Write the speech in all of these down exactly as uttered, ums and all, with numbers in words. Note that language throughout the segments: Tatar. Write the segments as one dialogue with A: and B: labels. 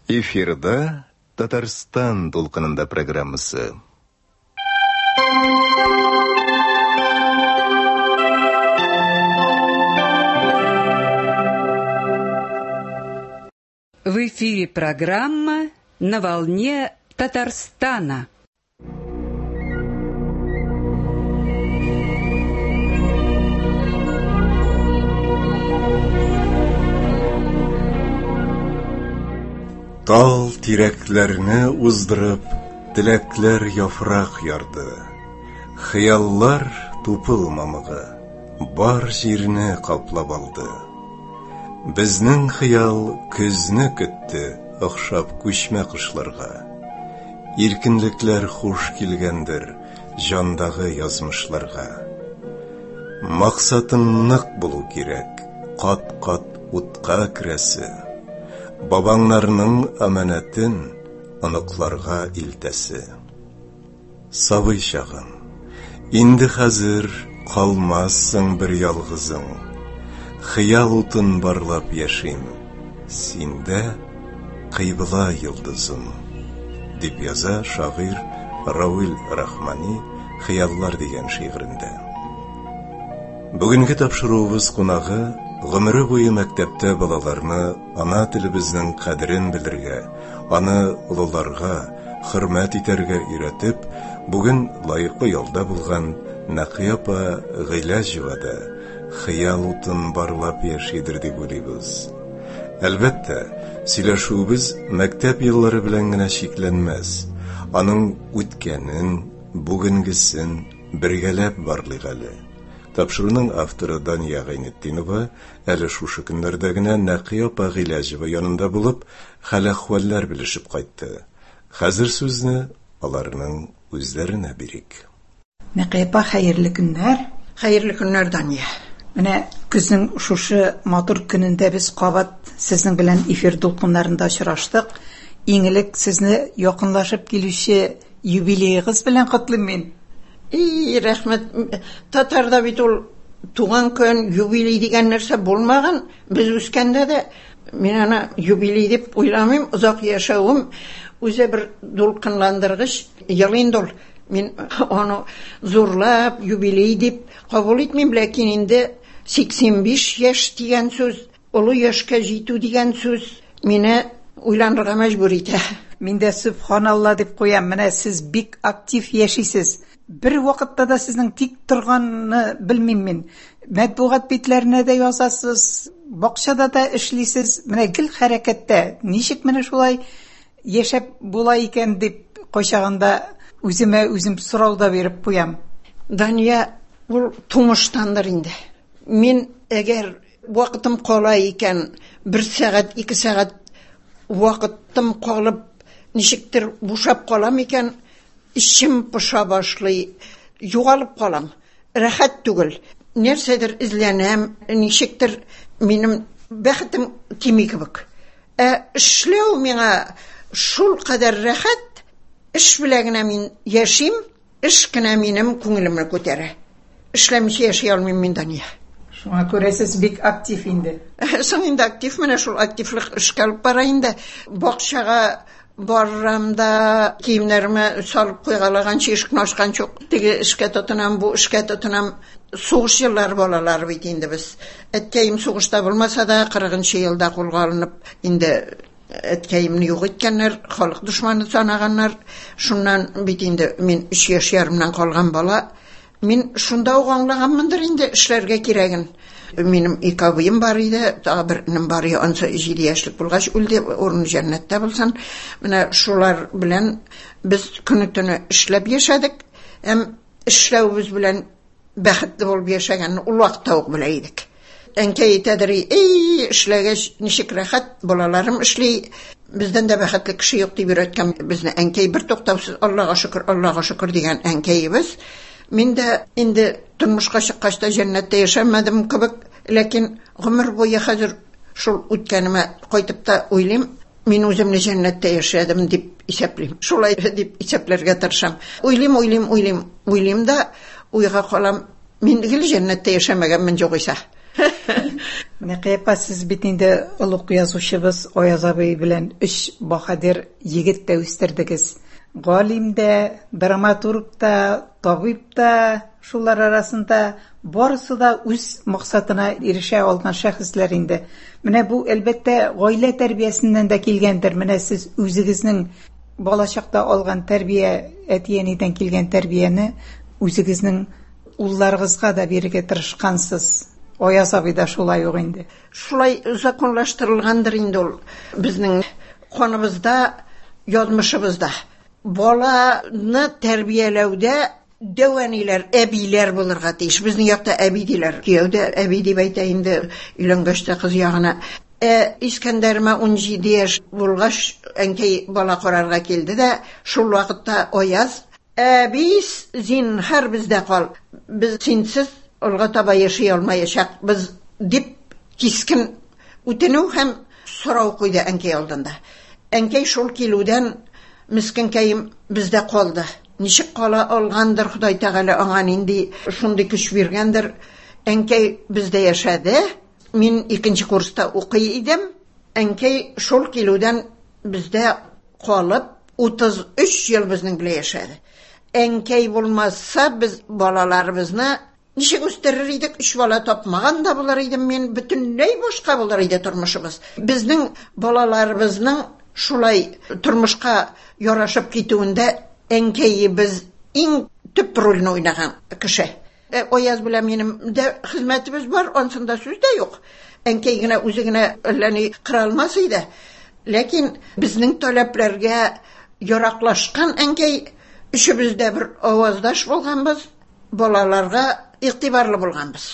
A: Эфирда Татарстан дулкынында программасы.
B: В эфире программа «На волне Татарстана».
A: Тал тирәкләрне уздырып, теләкләр яфрак ярды. Хыяллар тупыл мамыгы бар җирне каплап алды. Безнең хыял көзне көтте, охшап күчмә кошларга. Иркенлекләр хуш килгәндер җандагы язмышларга. Максатың нык булу кирәк, кат-кат утка керәсе. Бабаңнарның аманәтен оныкларга илтәсе. Сабый чагым, инде хәзер калмассың бер ялгызың. Хыял утын барлап яшим, синдә кыйбла йолдызым, дип яза шагыйрь Равил Рахмани «Хыяллар» дигән шигырендә. Бүгенге тапшыруыбыз кунагы гомере буе мәктәптә балаларны ана телебезнең кадерен белергә, аны олыларга хөрмәт итәргә өйрәтеп, бүген лаеклы ялда булган Нәкыя апа Гыйләҗева да хыял утын барлап яшидер дип уйлыйбыз. Әлбәттә, сөйләшүебез мәктәп еллары белән генә чикләнмәс. Аның үткәнен, бүгенгесен бергәләп барлыйк әле. Тапшыруның авторы Дания Гайнетдинова әле шушы көннәрдә генә Нәкыя апа Гыйләҗева янында булып, хәл-әхвәлләр белешеп кайтты. Хәзер сүзне аларның үзләренә бирик.
C: Нәкыя апа, хәерле көннәр.
D: Хәерле көннәр, Дания.
C: Менә көзнең шушы матур көнендә без кабат сезнең белән эфир дулкыннарында очраштык. Иң элек сезне якынлашып килүче юбилеегыз белән котлыйм мин.
D: И, рәхмәт. Татарда бит ул туган көн, юбилей дигән нәрсә булмаган. Без үскәндә дә мин аны юбилей дип уйламыйм. Озак яшәвем үзе бер дулкынландыргыч ел инде ул. Мин аны зурлап юбилей дип кабул итмим, ләкин инде сиксән биш яшь дигән сүз, олы яшькә җитү дигән сүз мине уйланырга мәҗбүр итә.
C: Мин дә сөбханалла дип куям. Менә сез бик актив яшисез. Бер вакытта да сезнең тик торганны белмим мин. Матбугат битләренә дә язасыз, бакчада да эшлисез. Менә гел хәрәкәттә. Ничек менә шулай яшәп була икән дип кайчагында үземә үзем сорау да биреп куям.
D: Дания, ул тумыштандыр инде. Мин әгәр вакытым кала икән, бер сәгать, ике сәгать вакытым калып, ничектер бушап калам икән, эчем поша башлый, югалып калам. Рәхәт түгел. Нәрсәдер эзләнәм, ничектер минем бәхетем кими кебек. Ә эшләү миңа шул кадәр рәхәт, эш белән генә мин яшим, эш кенә минем күңелемне күтәрә. Эшләмичә яши алмыйм мин, Дания.
C: Шуңа күрә сез бик актив инде.
D: Соң инде актив, менә шул активлык эшкә алып бара инде. Бакчага барам да киемнәремә салып куйгалаганчы, ишекне ачканчы ук теге эшкә тотынам, бу эшкә тотынам. Сугыш еллары балалары бит инде без. Әткәем сугышта булмаса да, кырыгынчы елда кулга алынып, инде әткәемне юк иткәннәр, халык дошманы санаганнар. Шуннан бит инде мин өч яшь ярымнан калган бала. Мин шунда ук аңлаганмындыр инде эшләргә кирәген. Минем ике абыем бар иде, тагы бер энем бар иде, ансы җиде яшьлек булгач үлде, урыны җәннәттә булсын. Менә шулар белән без көне-төне эшләп яшәдек. Һәм эшләвебез белән бәхетле булып яшәгәнне ул вакытта ук белә идек. Әнкәй әйтәдер, эй, эшләгәч ничек рәхәт, балаларым эшли, бездән дә бәхетле кеше юк дип өйрәткән безне әнкәй бер туктаусыз Аллага шөкер, Аллага шөкер дигән әнкәебез. Мин дә инде тормышка чыккач та җәннәттә яшәмәдем кебек, ләкин гомер буе хәзер шул үткәнемә кайтып та уйлыйм, мин үземне җәннәттә яшәдем дип исәплим. Шулай дип исәпләргә тырышам. Уйлыйм, уйлыйм, уйлыйм, уйлыйм да уйга калам. Мин гел җәннәттә яшәмәгәнмен югыйсә.
C: Менә Кыяпа, сез бит инде олуг язучыбыз Аяз абый белән өч баһадир егет тә үстердегез. Галим дә, драматург та, табиб та, шулар арасында барысы да үз максатына ирешә алган шәхесләр инде. Менә бу әлбәттә гаилә тәрбиясеннән дә килгәндер. Менә сез үзегезнең балачакта алган тәрбия, әти-әнидән килгән тәрбияне үзегезнең улларыгызга да бирергә тырышкансыз. Аяз абый да шулай ук инде.
D: Шулай законлаштырылгандыр инде ул безнең каныбызда, язмышыбызда. Баланы тәрбияләүдә дәү әниләр, әбиләр булырга тиеш. Безнең якта әби диләр. Кияү дә әби дип әйтә инде өйләнгәч тә кыз ягына. Ә Искәндәремә ун җиде яшь булгач, әнкәй бала карарга килде дә, шул вакытта Аяз: "Әби, зинһар бездә кал. Без синсез алга таба яши алмаячакбыз", дип кискен үтенү һәм сорау куйды әнкәй алдында. Әнкәй шул килүдән мескенкәем бездә калды. Ничек кала алгандыр, Ходай Тәгалә аңа нинди шундый көч биргәндер. Әнкәй бездә яшәде. Мин икенче курста укый идем. Әнкәй шул килүдән бездә калып утыз өч ел безнең белән яшәде. Әнкәй булмаса, без балаларыбызны ничек үстерер идек? Өч бала тапмаган да булыр идем мин, бөтенләй башка булыр иде тормышыбыз. Безнең балаларыбызның шулай тормышка ярашып китүендә әнкәебез иң төп рольне уйнаган кеше. Э, Аяз белән минем дә хезмәтебез бар, ансында сүз дә юк. Әнкәй генә үзе генә әллә ни кыра алмас иде. Ләкин безнең таләпләргә яраклашкан әнкәй, өчебез дә бер аваздаш булганбыз, балаларга игътибарлы булганбыз.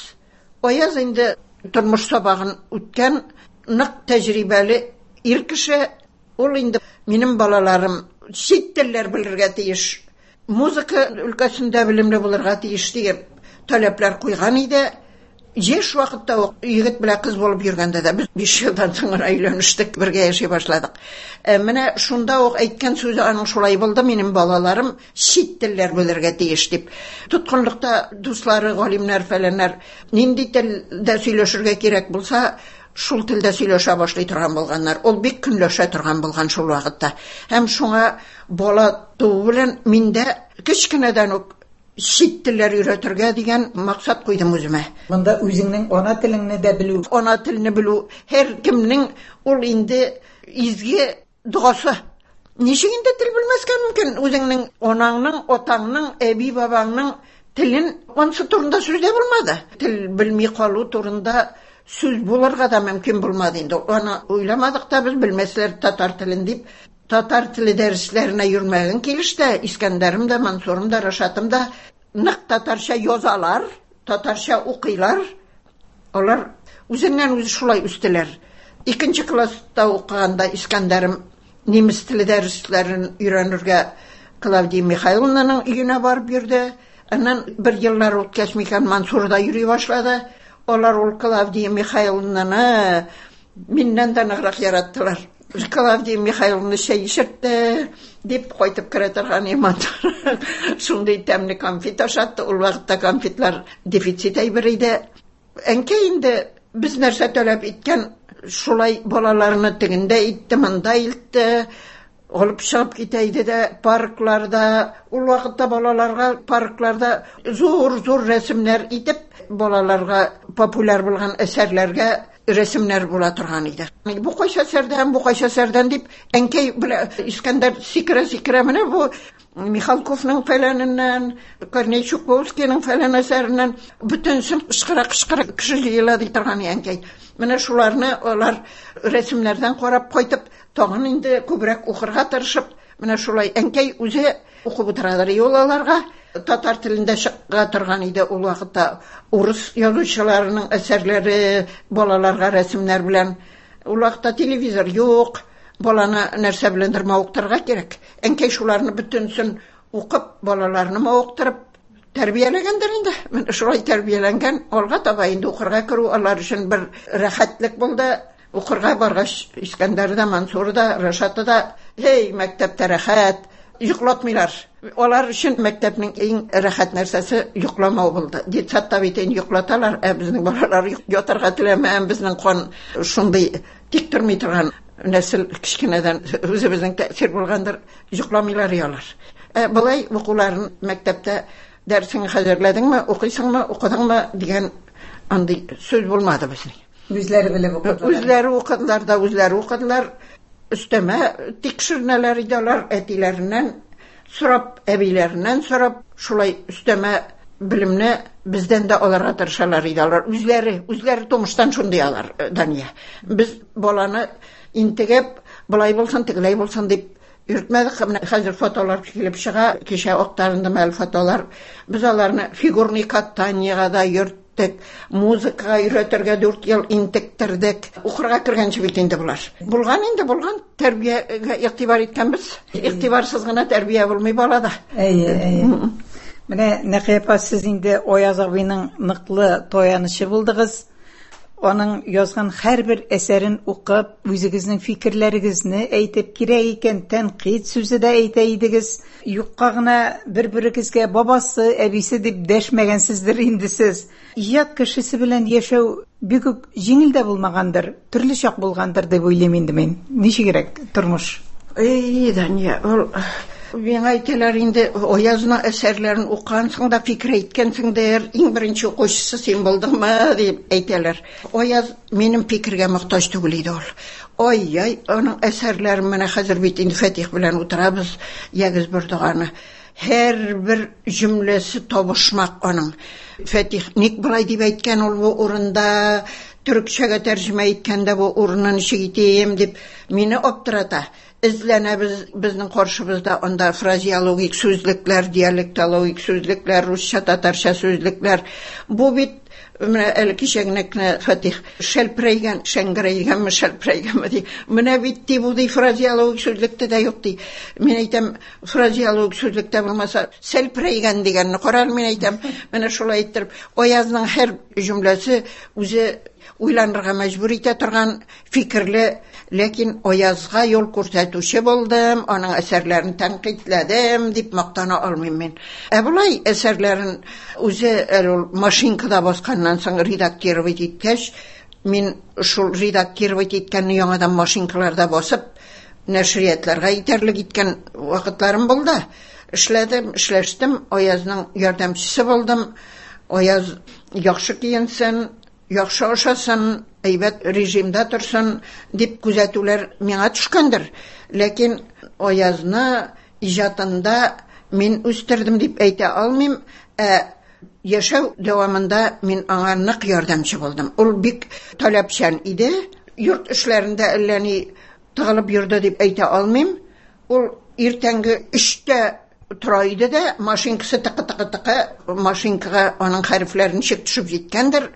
D: Аяз инде тормыш сабагын үткән, нык тәҗрибәле ир кеше. Ул инде минем балаларым чит телләр белергә тиеш, музыка өлкәсендә белемле булырга тиеш дигән таләпләр куйган иде. Яшь вакытта ук егет белән кыз булып йөргәндә дә без биш елдан соң гына өйләнештек, бергә яши башладык. Ә менә шунда ук әйткән сүзе аның шулай булды: минем балаларым чит телләр белергә тиеш дип. Тоткынлыкта дуслары, галимнәр, фәләннәр нинди телдә сөйләшергә кирәк булса, шул телдә сөйләшә башлый торган булганнар. Ул бик көнләшә торган булган шул вакытта. Һәм шуңа бала туу белән мин дә кечкенәдән үк чит телләр өйрәтергә дигән максат куйдым үземә.
C: Монда үзеңнең ана телеңне дә белү.
D: Ана телне белү һәркемнең ул инде изге догасы. Ничек инде тел белмәскә мөмкин? Үзеңнең анаңның, атаңның, әби бабаңның телен, ансы турында сүз дә булмады. Тел белми калу турында сүз булырга да мөмкин булмады инде. Аны уйламадык та без, белмәсләр татар телен дип. Татар теле дәресләренә йөрмәгән килештә Искәндәрем дә, Мансурым да, Рашатым да нык татарча язалар, татарча укыйлар. Алар үзеннән үзе шулай үстеләр. Икенче класста укыганда Искәндәрем немец теле дәресләрен өйрәнергә Клавдия Михайловнаның өенә барып йөрде. Аннан бер еллар үткәч микән Мансур да йөри башлады. Алар ул Клавдия Михайловнаны миннән дә ныграк яраттылар. Клавдия Михайловна чәй эчертте дип кайтып керә торган Мансур. Шундый тәмле конфет ашатты. Ул вакытта конфетлар дефицит әйбер иде. Әнкәй инде без нәрсә таләп иткән, шулай балаларны тегендә итте, монда илтте, алып чыгып китә иде дә паркларда. Ул вакытта балаларга паркларда зур-зур рәсемнәр итеп, балаларга популяр булган әсәрләргә рәсемнәр була торган иде. Бу кайсы әсәрдән, бу кайсы әсәрдән дип, әнкәй белән Искәндәр сикерә-сикерә менә бу Михалковның фәләненнән, Корней Чуковскийның фәлән әсәреннән бөтенсен кычкыра-кычкыра кеше җыела ди торган әнкәй. Менә шуларны алар рәсемнәрдән карап кайтып, тагын инде күбрәк укырга тырышып, менә шулай әнкәй үзе укып утырадыр ул аларга. Татар телендә чыга торган иде ул вакытта урыс язучыларының әсәрләре балаларга рәсемнәр белән. Ул вакытта телевизор юк, баланы нәрсә беләндер мавыктырырга кирәк. Әнкәй шуларны бөтенсен укып, балаларны мавыктырып тәрбияләгәндер инде. Менә шулай тәрбияләнгән, алга таба инде укырга керү алар өчен бер рәхәтлек булды. Укырга баргач, Искәндәр дә, Мансур да, Рашаты да Һей, мәктәптә рәхәт, йоклатмыйлар. Алар өчен мәктәпнең иң рәхәт нәрсәсе йокламау булды. Детсадта бит инде йоклаталар, ә безнең балалар ятарга теләмәгән, безнең кан шундый тик тормый торган нәсел, кечкенәдән үзебезнең тәэсир булгандыр, йокламыйлар алар. Ә болай укуларын мәктәптә дәресеңне хәзерләдеңме, укыйсыңмы, укыдыңмы дигән андый сүз булмады безнең.
C: Үзләре белеп укыдылар.
D: Үзләре укыдылар да, үзләре укыдылар. Өстәмә тикшеренәләр иде алар, әтиләреннән сорап, әбиләреннән сорап, шулай өстәмә белемне бездән дә алырга тырышалар иде алар. Үзләре, үзләре тумыштан шундый алар, Дания. Без баланы интегеп, болай булсын, тегеләй булсын дип йөртмәдек. Менә хәзер фотолар килеп чыга, кичә актарындым әле фотолар. Без аларны фигурный катаниега да йөрттек, музыкага өйрәтергә дүрт ел интектердек. Укырга кергәнче бит инде болар. Булган инде, булган. Тәрбиягә игътибар иткәнбез. Игътибарсыз гына тәрбия булмый балада.
C: Әйе, әйе. Менә Нәкыя апа, сез инде Аяз абыйның ныклы таянычы булдыгыз. Аның язган һәрбер әсәрен укып, үзегезнең фикерләрегезне әйтеп, кирәк икән тәнкыйть сүзе дә әйтә идегез. Юкка гына бер-берегезгә бабасы, әбисе дип дәшмәгәнсездер инде сез. Иҗат кешесе белән яшәү бик үк җиңел дә булмагандыр, төрле чак булгандыр дип уйлыйм инде мин. Ничегрәк тормыш?
D: Эй, Дания, ул миңа әйтәләр инде, Аязның әсәрләрен укыгансың да фикер әйткәнсеңдер, иң беренче укучысы син булдыңмы дип әйтәләр. Аяз минем фикергә мохтаҗ түгел иде ул. Ай-яй, аның әсәрләрен менә хәзер бит инде Фатих белән утырабыз, ягез бер доганы. Һәрбер җөмләсе табышмак аның. Фатих ник болай дип әйткән ул бу урында, төрекчәгә тәрҗемә иткәндә бу урынны ничек итим дип мине аптырата. Эзләнәбез, безнең каршыбызда анда фразеологик сүзлекләр, диалектологик сүзлекләр, русча, татарча сүзлекләр. Бу бит менә әле кичә генә кенә Фатих шәлперәйгән, шәңгерәйгәнме, шәлперәйгәнме ди. Менә бит ди, бу ди фразеологик сүзлектә дә юк ди. Мин әйтәм, фразеологик сүзлектә булмаса, сәлперәйгән дигәнне кара әле, мин әйтәм. Менә шулай иттереп, Аязның һәр җөмләсе үзе уйланырга мәҗбүр итә торган фикерле, ләкин Аязга юл күрсәтүче булдым, аның әсәрләрен тәнкыйтьләдем дип мактана алмыйм мин. Ә болай әсәрләрен үзе әле ул машинкада басканнан соң редактировать иткәч, мин шул редактировать иткәнне яңадан машинкаларда басып, нәшриятларга итәрлек иткән вакытларым булды. Эшләдем, эшләштем, Аязның ярдәмчесе булдым. Аяз яхшы киенсен, яхшы ашасын, әйбәт режимда торсын дип күзәтүләр миңа төшкәндер. Ләкин Аязны иҗатында мин үстердем дип әйтә алмыйм, ә яшәү дәвамында мин аңа нык ярдәмче булдым. Ул бик таләпчән иде, йорт эшләрендә әллә ни тыгылып йөрде дип әйтә алмыйм. Ул иртәнге өчтә тора иде дә, машинкасы тыкы-тыкы-тыкы, машинкага аның хәрефләре ничек төшеп җиткәндер,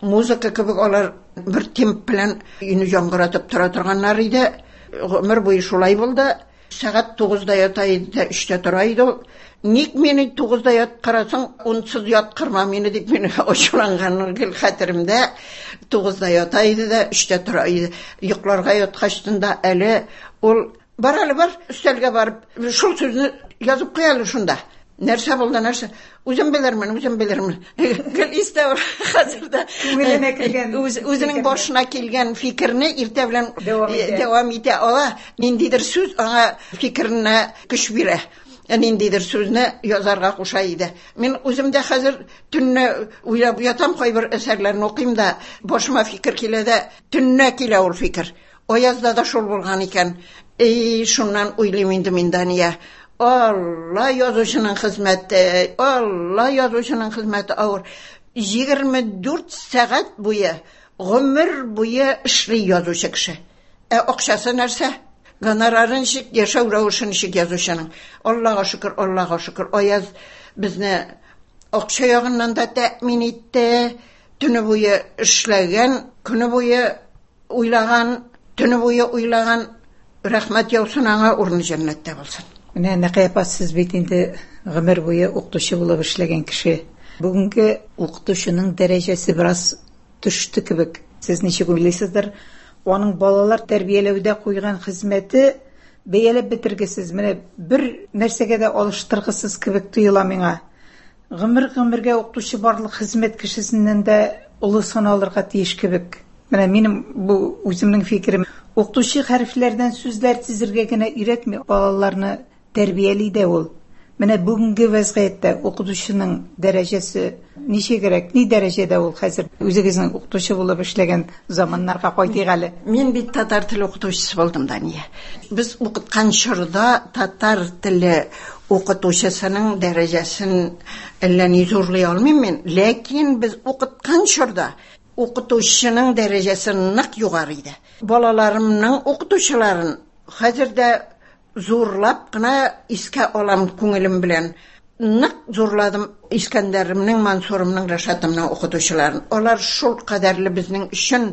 D: музыка кебек алар бер темп белән өйне яңгыратып тора торганнар иде. Гомер буе шулай булды. Сәгать тугызда ята иде дә, өчтә тора иде ул. Ник мине тугызда яткырасың, унсыз яткырма мине дип мине ачуланганы гел хәтеремдә. Тугызда ята иде дә, өчтә тора иде. Йокларга яткачтын да әле ул бар әле бар, өстәлгә барып, шул сүзне язып куй әле шунда. Нәрсә булды, нәрсә? Үзем белермен, үзем белермен. Гел истә ул хәзер дә.
C: Күңеленә килгән
D: Үз, үзенең
C: фикерне.
D: башына килгән фикерне иртә белән
C: Дәвам итә.
D: дәвам итә ала. Ниндидер сүз аңа фикеренә көч бирә. Ниндидер сүзне язарга куша иде. Мин үзем дә хәзер төнне уйлап ятам, кайбер әсәрләрне укыйм да, башыма фикер килә дә, төнне килә ул фикер. Аязда да шул булган икән. Эй, шуннан уйлыйм инде мин, Дания. Алла язучының хезмәте, Алла язучының хезмәте авыр. Егерме дүрт сәгать буе, гомер буе эшли язучы кеше. Ә акчасы нәрсә? Гонорары ничек, яшәү рәвеше ничек язучының? Аллага шөкер, Аллага шөкер. Аяз безне акча ягыннан да тәэмин итте. Төне буе эшләгән, көне буе уйлаган, төне буе уйлаган. Рәхмәт яусын аңа, урыны җәннәттә булсын.
C: Менә Нәкыя апа, сез бит инде гомер буе укытучы булып эшләгән кеше. Бүгенге укытучының дәрәҗәсе бераз төште кебек. Сез ничек уйлыйсыздыр? Аның балалар тәрбияләүдә куйган хезмәте бәяләп бетергесез, менә бер нәрсәгә дә алыштыргысыз кебек тоела миңа. Гомер-гомергә укытучы барлык хезмәт кешесеннән дә олы саналырга тиеш кебек. Менә минем бу үземнең фикерем. Укытучы хәрефләрдән сүзләр тезергә генә өйрәтми, балаларны тәрбияли дә ул. Менә бүгенге вәзгыятьтә укытучының дәрәҗәсе ничегрәк, ни дәрәҗәдә ул хәзер? Үзегезнең укытучы булып эшләгән заманнарга кайтыйк әле.
D: Мин бит татар теле укытучысы булдым, Дания. Без укыткан чорда татар теле укытучысының дәрәҗәсен әллә ни зурлый алмыйм мин, ләкин без укыткан чорда укытучының дәрәҗәсе нык югары иде. Балаларымның укытучыларын хәзер дә зурлап кына искә алам күңелем белән. Нык зурладым Искәндәремнең, Мансурымның, Рәшатымның укытучыларын. Алар шул кадәрле безнең өчен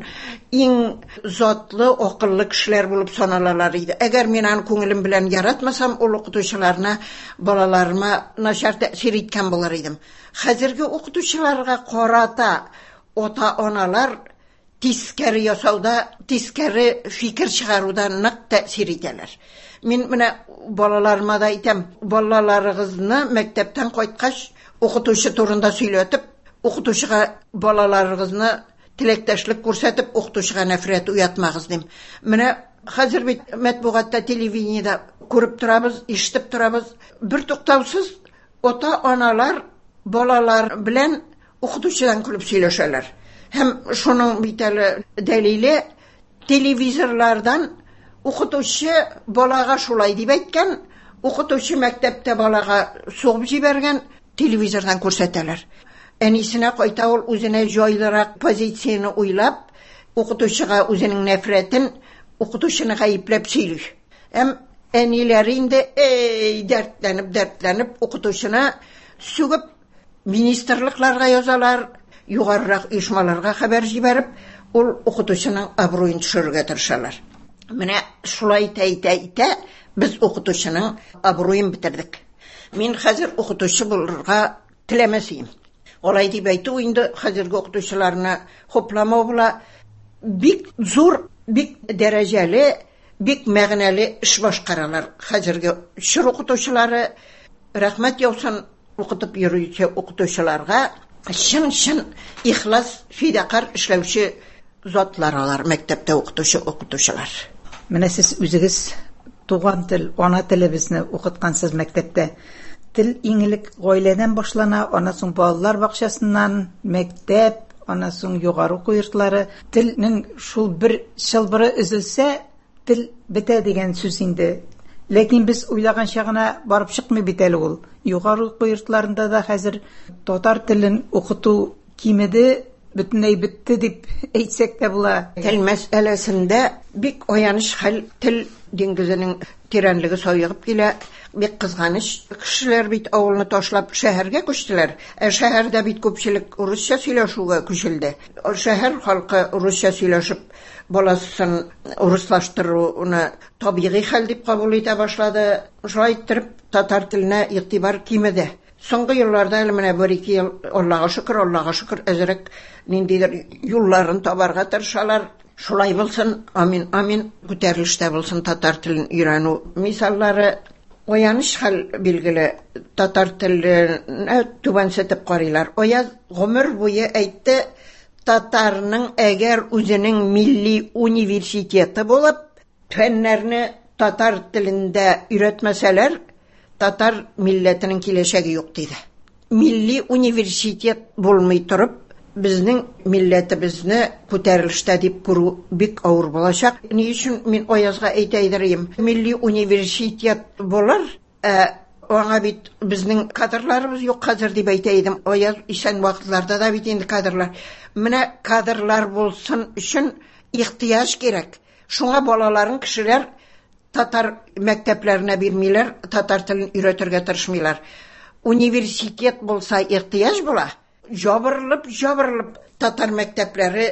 D: иң затлы, акыллы кешеләр булып саналалар иде. Әгәр мин аны күңелем белән яратмасам, ул укытучыларны балаларыма начар тәэсир иткән булыр идем. Хәзерге укытучыларга карата ата-аналар тискәре ясауда, тискәре фикер чыгаруда нык тәэсир итәләр. Мин менә балаларыма да әйтәм, балаларыгызны мәктәптән кайткач укытучы турында сөйләтеп, укытучыга балаларыгызны теләктәшлек күрсәтеп, укытучыга нәфрәт уятмагыз дим. Менә хәзер бит матбугатта, телевидениедә күреп торабыз, ишетеп торабыз, бер туктаусыз ата-аналар балалар белән укытучыдан көлеп сөйләшәләр. Һәм шуның бит әле дәлиле телевизорлардан укытучы балага шулай дип әйткән, укытучы мәктәптә балага сугып җибәргән, телевизордан күрсәтәләр. Әнисенә кайта ул үзенә җайлырак позицияне уйлап, укытучыга үзенең нәфрәтен, укытучыны гаепләп сөйли. Һәм әниләре инде эй дәртләнеп, дәртләнеп укытучыны сүгеп министрлыкларга язалар, югарырак оешмаларга хәбәр җибәреп, ул укытучының абруен төшерергә тырышалар. Менә шулай итә, итә, итә без укытучының абруен бетердек. Мин хәзер укытучы булырга теләмәс идем. Алай дип әйтү инде хәзерге укытучыларны хупламау була. Бик зур, бик дәрәҗәле, бик мәгънәле эш башкаралар хәзерге чор укытучылары. Рәхмәт яусын укытып йөрүче укытучыларга, чын-чын ихлас, фидакар эшләүче затлар алар мәктәптә укытучы укытучылар.
C: Менә сез үзегез туган тел, ана телебезне укыткансыз мәктәптә. Тел иң элек гаиләдән башлана, аннан соң балалар бакчасыннан, мәктәп, аннан соң югары уку йортлары. Телнең шул бер чылбыры өзелсә, тел бетә дигән сүз инде. Ләкин без уйлаганча гына барып чыкмый бит әле ул. Югары уку йортларында да хәзер татар телен укыту кимеде, бөтенләй бетте дип әйтсәк тә була.
D: Тел мәсьәләсендә бик аяныч хәл, тел диңгезенең тирәнлеге саегып килә, бик кызганыч. Кешеләр бит авылны ташлап шәһәргә күчтеләр. Ә шәһәрдә бит күпчелек урысча сөйләшүгә күчелде. Шәһәр халкы урысча сөйләшеп баласын урыслаштыруны табигый хәл дип кабул итә башлады. Шулай иттереп татар теленә игътибар кимеде. Соңгы елларда әле менә бер ике ел, Аллага шөкер, Аллага шөкер, әзрәк ниндидер юлларын табарга тырышалар. Шулай булсын, амин, амин, күтәрелештә булсын татар телен өйрәнү мисаллары. Аяныч хәл билгеле, татар теленә түбәнсетеп карыйлар. Аяз гомер буе әйтте, татарның әгәр үзенең милли университеты булып, фәннәрне татар телендә өйрәтмәсәләр, татар милләтенең киләчәге юк диде. Милли университет булмый торып, безнең милләтебезне күтәрелештә дип күрү бик авыр булачак. Ни өчен мин Аязга әйтә идем? Милли университет булыр, ә аңа бит безнең кадрларыбыз юк хәзер дип әйтә идем. Аяз исән вакытларда да бит инде кадрлар. Менә кадрлар булсын өчен ихтыяҗ кирәк. Шуңа балаларын кешеләр татар мәктәпләренә бирмиләр, татар телен өйрәтергә тырышмыйлар. Университет булса ихтыяҗ була. Жабырылып, жабырылып татар мәктәпләре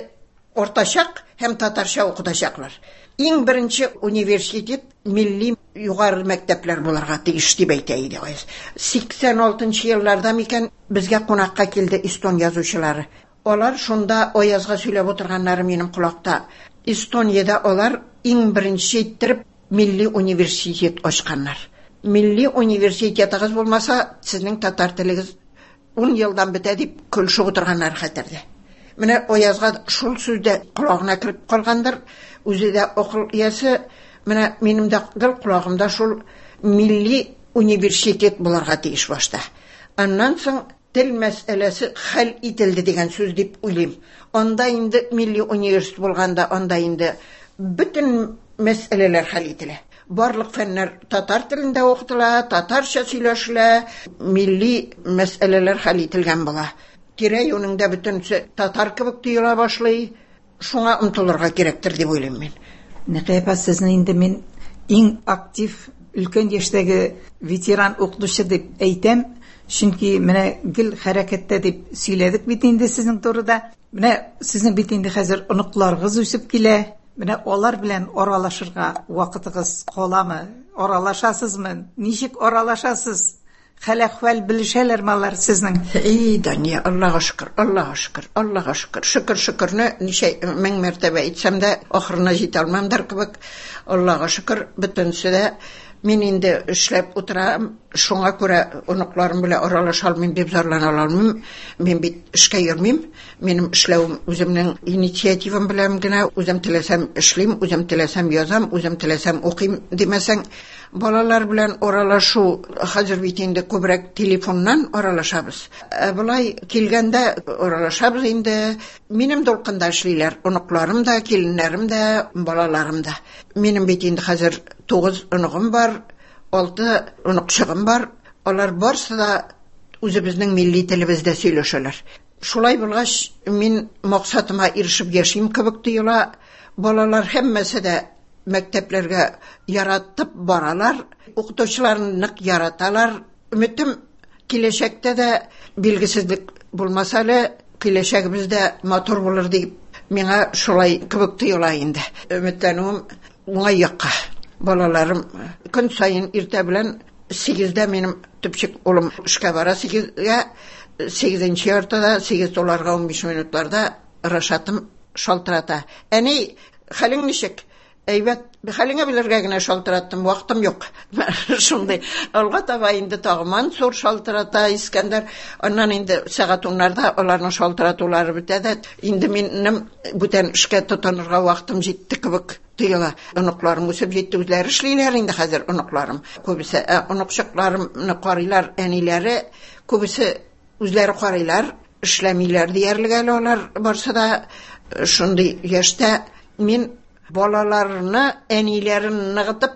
D: артачак һәм татарча укытачаклар. Иң беренче университет милли югары мәктәпләр булырга тиеш дип әйтә иде Аяз. Сиксән алтынчы елларда микән безгә кунакка килде эстон язучылары. Алар шунда Аязга сөйләп утырганнары минем колакта. Эстониядә алар иң беренче иттереп милли университет ачканнар. Милли университетыгыз булмаса, сезнең татар телегез ун елдан бетә дип көлешеп утырганнар хәтердә. Менә Аязга шул сүз дә колагына кереп калгандыр, үзе дә акыл иясе. Менә минем дә гел колагымда шул милли университет булырга тиеш башта. Аннан соң тел мәсьәләсе хәл ителде дигән сүз дип уйлыйм. Анда инде милли университет булганда, анда инде бөтен мәсьәләләр хәл ителә. Барлык фәннәр татар телендә укытыла, татарча сөйләшелә, милли мәсьәләләр хәл ителгән була. Тирә-юнеңдә бөтенесе татар кебек тоела башлый. Шуңа омтылырга кирәктер дип уйлыйм мин.
C: Нәкыя апа, сезне инде мин иң актив өлкән яшьтәге ветеран укытучы дип әйтәм. Чөнки менә гел хәрәкәттә дип сөйләдек бит инде сезнең турыда. Менә сезнең бит инде хәзер оныкларыгыз үсеп килә. Менә алар белән аралашырга вакытыгыз каламы? Аралашасызмы? Ничек аралашасыз? Хәл-әхвәл белешәләрме алар сезнең?
D: Эй, Дания, Аллага шөкер, Аллага шөкер, Аллага шөкер. Шөкер, шөкерне ничә мең мәртәбә әйтсәм дә, ахырына җитә алмамдыр кебек. Аллага шөкер, бөтенесе дә мин инде эшләп утырам, шуңа күрә оныкларым белән аралаша алмыйм дип зарлана алмыйм. Мин бит эшкә йөрмим. Минем эшләвем үземнең инициативам белән генә, үзем теләсәм эшлим, үзем теләсәм язам, үзем теләсәм укыйм димәсәң, балалар белән аралашу хәзер бит инде күбрәк телефоннан аралашабыз. Ә болай килгәндә аралашабыз инде. Минем дулкында эшлиләр, оныкларым да, киленнәрем дә, балаларым да. Минем бит инде хәзер тугыз оныгым бар, алты оныкчыгым бар. Алар барсы да үзебезнең милли телебездә сөйләшәләр. Шулай булгач, мин максатыма ирешеп яшим кебек тоела. Балалар һәммәсе дә мәктәпләргә яратып баралар, укытучыларын нык яраталар. Өметем киләчәктә дә билгесезлек булмаса әле, киләчәгебез дә матур булыр дип миңа шулай кебек тоела инде. Өметләнүем уңай якка. Балаларым көн саен иртә белән сигездә минем төпчек улым эшкә бара, сигезгә, сигезенче яртыда, сигез туларга унбиш минутларда Рашатым шалтырата. Әни, хәлең ничек? Әйбәт, хәлеңә белергә генә шалтыраттым, вакытым юк. Шундый. Алга таба инде тагы Мансур шалтырата, Искәндәр. Аннан инде сәгать уннарда аларның шалтыратулары бетә дә, инде минем бүтән эшкә тотынырга вакытым җитте кебек тоела. Оныкларым үсеп җитте, үзләре эшлиләр инде хәзер оныкларым. Күбесе, ә, оныкчыкларымны карыйлар әниләре, күбесе үзләре карыйлар, эшләмиләр диярлек әле алар барсы да. Шундый яшьтә мин балаларны әниләрен ныгытып,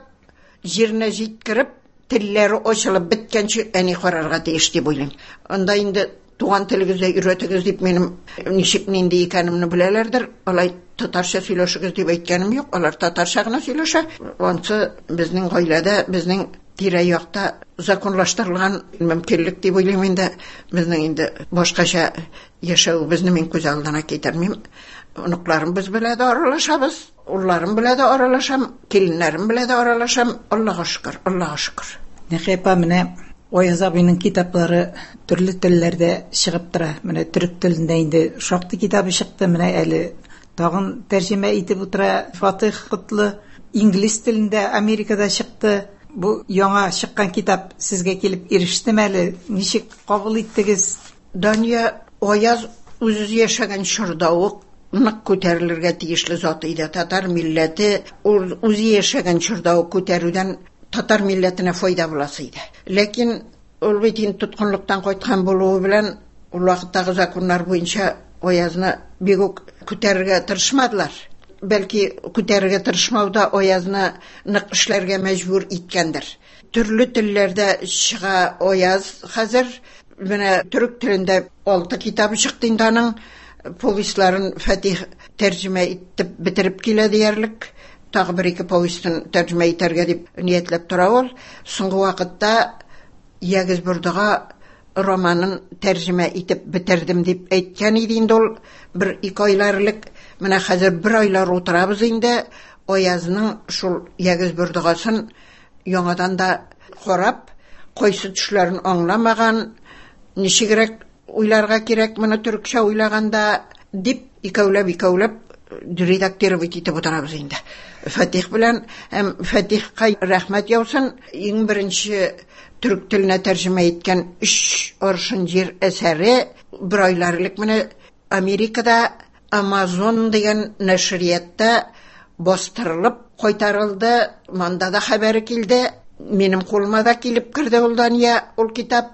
D: җиренә җиткереп, телләре ачылып беткәнче әни карарга тиеш дип уйлыйм. Анда инде туган телегездә өйрәтегез дип минем ничек нинди икәнемне беләләрдер. Алай татарча сөйләшегез дип әйткәнем юк. Алар татарча гына сөйләшә. Ансы безнең гаиләдә, безнең тирә-якта законлаштырылган мөмкинлек дип уйлыйм инде. Безнең инде башкача яшәвебезне мин күз алдына китермим. Оныкларым без белән дә аралашабыз, улларым белән дә аралашам, киленнәрем белән дә аралашам. Аллага шөкер, Аллага шөкер.
C: Нәкыя апа, менә Аяз абыйның китаплары төрле телләрдә чыгып тора. Менә төрек телендә инде шактый китабы чыкты, менә әле тагын тәрҗемә итеп утыра Фатих Котлы. Инглиз телендә Америкада чыкты. Бу яңа чыккан китап сезгә килеп ирештеме әле? Ничек кабул иттегез?
D: Дания, Аяз үзе яшәгән чорда ук нык күтәрелергә тиешле зат иде. Татар милләте ул үзе яшәгән чорда ук күтәрүдән татар милләтенә файда буласы иде. Ләкин ул бит инде тоткынлыктан кайткан булуы белән ул вакыттагы законнар буенча Аязны бик үк күтәрергә тырышмадылар. Бәлки күтәрергә тырышмау да Аязны нык эшләргә мәҗбүр иткәндер. Төрле телләрдә чыга Аяз хәзер. Менә төрек телендә алты китабы чыкты инде аның. Повестьларын Фатих тәрҗемә итеп бетереп килә диярлек. Тагы бер ике повестен тәрҗемә итәргә дип ниятләп тора ул. Соңгы вакытта Ягез Бордыга романын тәрҗемә итеп бетердем дип әйткән иде инде ул бер ике айлар элек. Менә хәзер бер айлар утырабыз инде. Аязның шул Ягез Бордыгасын яңадан да карап, кайсы төшләрен аңламаган, ничегрәк уйларга кирәк моны төркчә уйлаганда дип икәүләп икәүләп редактировать итеп утырабыз инде. Фатих белән һәм Фатихка рәхмәт яусын, иң беренче төрек теленә тәрҗемә иткән Өч аршын җир әсәре бер айлар элек менә Америкада Amazon дигән нәшриятта бастырылып кайтарылды. Монда да хәбәре килде. Минем кулыма да килеп керде ул, Дания, ул китап.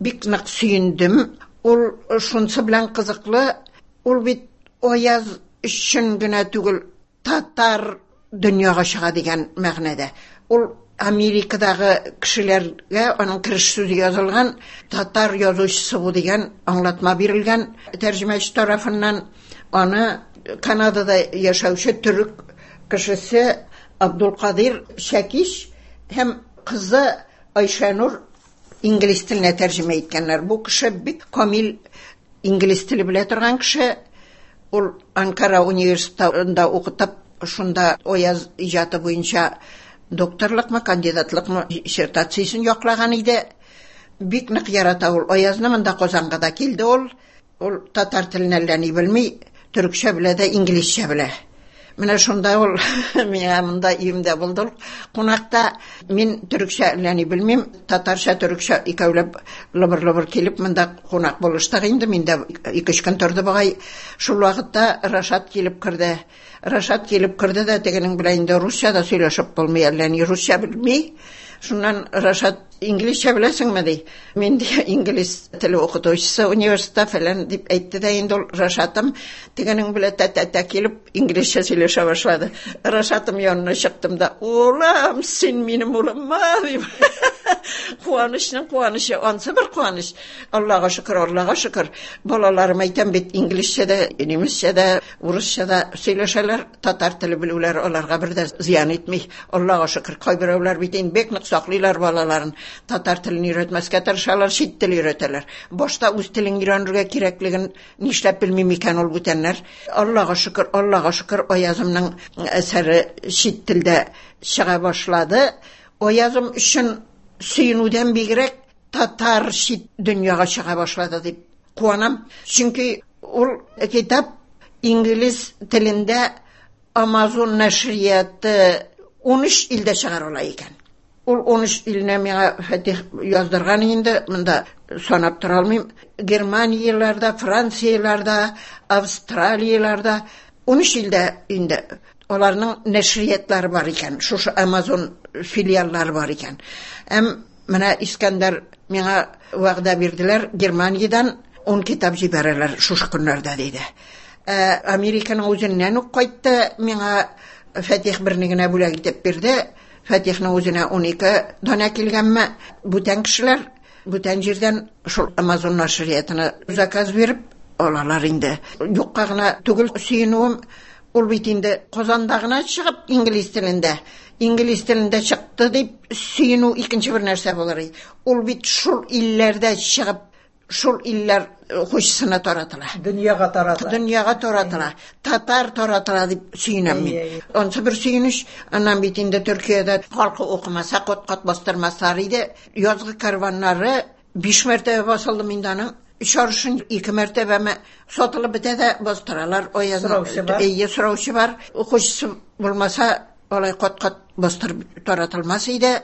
D: Бик нык сөендем. Ул шунысы белән кызыклы, ул бит Аяз өчен генә түгел, татар дөньяга чыга дигән мәгънәдә. Ул Америкадагы кешеләргә аның кереш сүзе язылган, татар язучысы бу дигән аңлатма бирелгән тәрҗемәче тарафыннан. Аны Канадада яшәүче төрек кешесе Абдулкадир Шәкиш һәм кызы Айшанур инглиз теленә тәрҗемә иткәннәр. Бу кеше бик камил инглиз теле белә торган кеше. Ул Анкара университетында укытып, шунда Аяз иҗаты буенча докторлыкмы, кандидатлыкмы диссертациясен яклаган иде. Бик нык ярата ул Аязны, монда Казанга да килде ул. Ул татар телен әллә ни белми, төрекчә белә дә, инглизчә белә. Менә шунда ул миңа монда өемдә булды ул кунакта. Мин төрекчә әллә ни белмим, татарча, төрекчә икәүләп лыбыр-лыбыр килеп монда кунак булыштык инде. Мин дә ике-өч көн торды бугай. Шул вакытта Рашат килеп керде. Рашат килеп керде дә, тегенең белән инде русча да сөйләшеп булмый, әллә ни русча белми. Шуннан Рашат: "Инглизчә беләсеңме?" – ди. "Мин дә инглиз теле укытучысы университетта фәлән", – дип әйтте дә инде ул Рашатым тегенең белән тә-тә-тә килеп инглизчә сөйләшә башлады. Рашатым янына чыктым да: "Улым, син минем улыммы?" – дип. Куанычның куанычы, ансы бер куаныч. Аллага шөкер, Аллага шөкер. Балаларым, әйтәм бит, инглизчә дә, немецчә дә, урысча да сөйләшәләр. Татар теле белүләре аларга бер дә зыян итми. Аллага шөкер, кайберәүләр бит инде бик нык саклыйлар балаларын. Татар телен өйрәтмәскә тырышалар, чит тел өйрәтәләр. Башта үз телен өйрәнергә кирәклеген нишләп белмим икән ул бүтәннәр. Аллага шөкер, Аллага шөкер, Аязымның әсәре чит телдә чыга башлады. Аязым өчен сөенүдән бигрәк татар чит дөньяга чыга башлады дип куанам. Чөнки ул китап инглиз телендә Amazon нәшрияты ун өч илдә чыгарыла икән. Ул ун өч илне миңа Фатих яздырган инде, монда санап тора алмыйм. Германияләрдә, Францияләрдә, Австралияләрдә ун өч илдә инде аларның нәшриятлары бар икән. Шушы Amazon филиаллары бар икән. Әм менә Искәндәр миңа вәгъдә бирделәр, Германиядән ун китап җибәрәләр шушы көннәрдә диде. Ә, Американың үзеннән үк кайтты, миңа Фатих берне генә бүләк итеп бирде. Фатихның үзенә ун ике данә килгәнме? Бүтән кешеләр бүтән җирдән шул Amazon нәшриятына заказ биреп алалар инде. Юкка гына түгел сөенүем, ул бит инде Казанда гына чыгып инглиз телендә, инглиз телендә чыкты дип сөенү икенче бер нәрсә булыр иде. Ул бит шул илләрдә чыгып, шул илләр укучысына таратыла.
C: Дөньяга таратыла.
D: Дөньяга таратыла. Татар таратыла дип сөенәм мин.
C: Әйе, әйе.
D: Ансы бер сөенеч. Аннан бит инде Төркиядә халкы укымаса, кат-кат бастырмаслар иде. Язгы карваннары биш мәртәбә басылды инде аның. Өч аршын ике мәртәбәме сатылып бетә дә бастыралар. Аязны
C: Сораучы бар.
D: Әйе, сораучы бар. Укучысы булмаса, алай кат-кат бастырып таратылмас иде.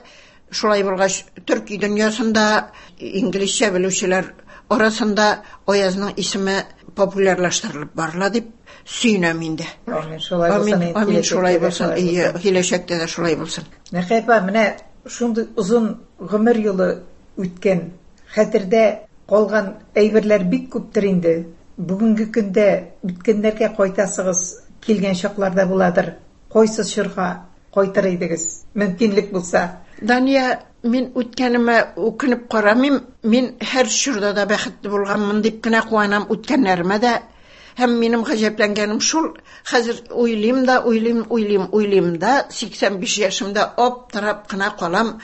D: Шулай булгач, төрки дөньясында инглизчә белүчеләр арасында Аязның исеме популярлаштырылып барыла дип сөенәм инде.
C: Амин, шулай булсын,
D: Амин,
C: инде
D: амин,
C: киләчәктә
D: шулай
C: дә
D: булсын.
C: шулай
D: Ие,
C: булсын.
D: киләчәктә дә шулай булсын.
C: Нәкыя апа, менә шундый озын гомер юлы үткән, хәтердә калган әйберләр бик күптер инде. Бүгенге көндә үткәннәргә кайтасыгыз килгән чакларда буладыр. Кайсы чорга кайтыр идегез? Мөмкинлек булса.
D: Дания, мин үткәнемә үкенеп карамыйм. Мин һәр чорда да бәхетле булганмын дип кенә куанам үткәннәремә дә. Һәм минем гаҗәпләнгәнем шул, хәзер уйлыйм да, уйлыйм, уйлыйм, уйлыйм да, сиксән биш яшемдә аптырап кына калам.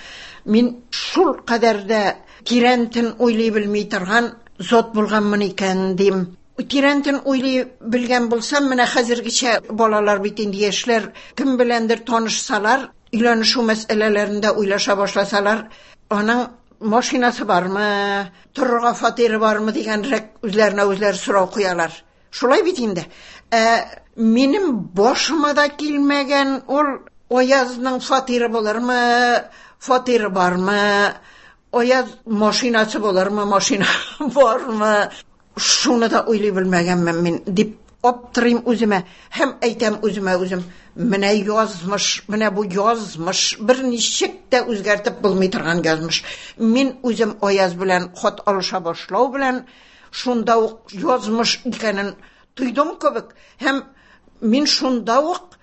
D: Мин шул кадәр дә тирәнтен уйлый белми торган зат булганмын икән дим. Тирәнтен уйлый белгән булсам, менә хәзергечә балалар бит инде яшьләр кем беләндер танышсалар, өйләнешү мәсьәләләрендә уйлаша башласалар, аның машинасы бармы, торырга фатиры бармы дигәнрәк үзләренә үзләре сорау куялар. Шулай бит инде. Ә, минем башыма да килмәгән ул Аязның фатиры булырмы, фатиры бармы, Аяз машинасы булырмы, машина бармы? Шуны да уйлый белмәгәнмен мин дип аптырыйм үземә һәм әйтәм үземә үзем: менә язмыш, менә бу язмыш, берничек тә үзгәртеп булмый торган язмыш. Мин үзем Аяз белән хат алыша башлау белән шунда ук язмыш икәнен тойдым кебек һәм мин шунда ук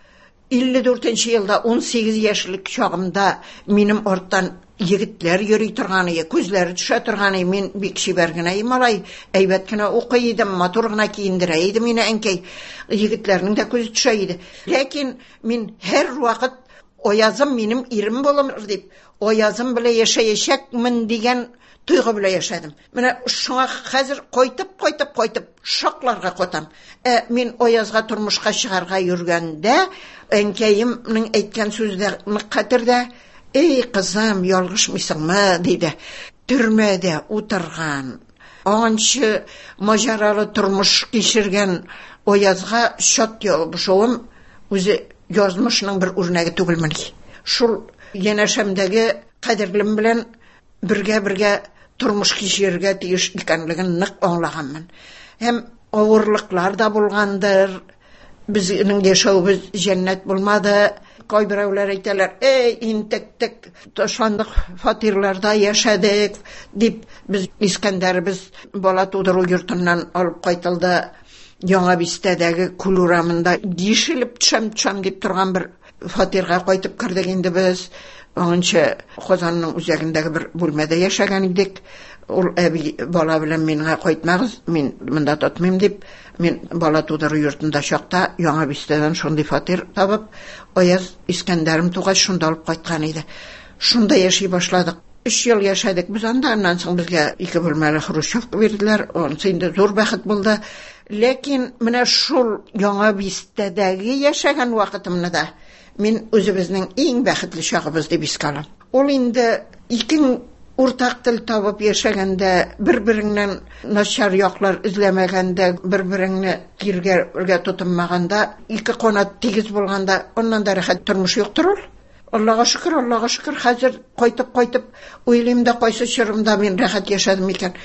D: илле дүртенче елда ун сигез яшьлек чагымда минем арттан егетләр йөри торган иде, күзләре төшә торган иде. Мин бик чибәр генә идем, малай, әйбәт кенә укый идем, матур гына киендерә иде мине әнкәй. Егетләрнең дә күзе төшә иде. Ләкин мин һәр вакыт Аязым минем ирем булыр дип, Аязым белән яшәячәкмен дигән тойгы белән яшәдем. Менә шуңа хәзер кайтып, кайтып, кайтып шакларга катам. Ә мин Аязга тормышка чыгарга йөргәндә, әнкәемнең әйткән сүзе нык хәтердә. Эй, кызым, ялгышмыйсыңмы, диде. Төрмәдә утырган, аңынчы маҗаралы тормыш кичергән Аязга чат ябышуым үзе язмышның бер үрнәге түгелмени. Шул янәшәмдәге кадерлем белән бергә-бергә тормыш кичерергә тиеш икәнлеген нык аңлаганмын. Һәм авырлыклар да булгандыр. Безнең яшәвебез җәннәт булмады. Кайберәүләр әйтәләр: "Эй, интектек, ташландык фатирларда яшәдек", дип. Без Искәндәребез бала тудыру йортыннан алып кайтылды. Яңа бистәдәге Күл урамында ишелеп төшәм, төшәм дип торган бер фатирга кайтып кердек инде без. Аңынча Казанның үзәгендәге бер бүлмәдә яшәгән идек. Ул әби бала белән миңа кайтмагыз, мин монда тотмыйм дип, мин бала тудыру йортында чакта Яңа бистәдән шундый фатир табып, Аяз Искәндәрем тугач шунда алып кайткан иде. Шунда яши башладык. Өч ел яшәдек без анда, аннан соң безгә ике бүлмәле хрущевка бирделәр. Анысы инде зур бәхет булды. Ләкин менә шул Яңа бистәдәге яшәгән вакытымны да мин үзебезнең иң бәхетле чагыбыз дип искә алам. Ул инде ике уртак тел табып яшәгәндә, бер-береңнән начар яклар эзләмәгәндә, бер-береңне тиргәргә тотынмаганда, ике канат тигез булганда, аннан да рәхәт тормыш юктыр ул. Аллага шөкер, Аллага шөкер, хәзер кайтып-кайтып уйлыйм да, кайсы чорымда мин рәхәт яшәдем икән.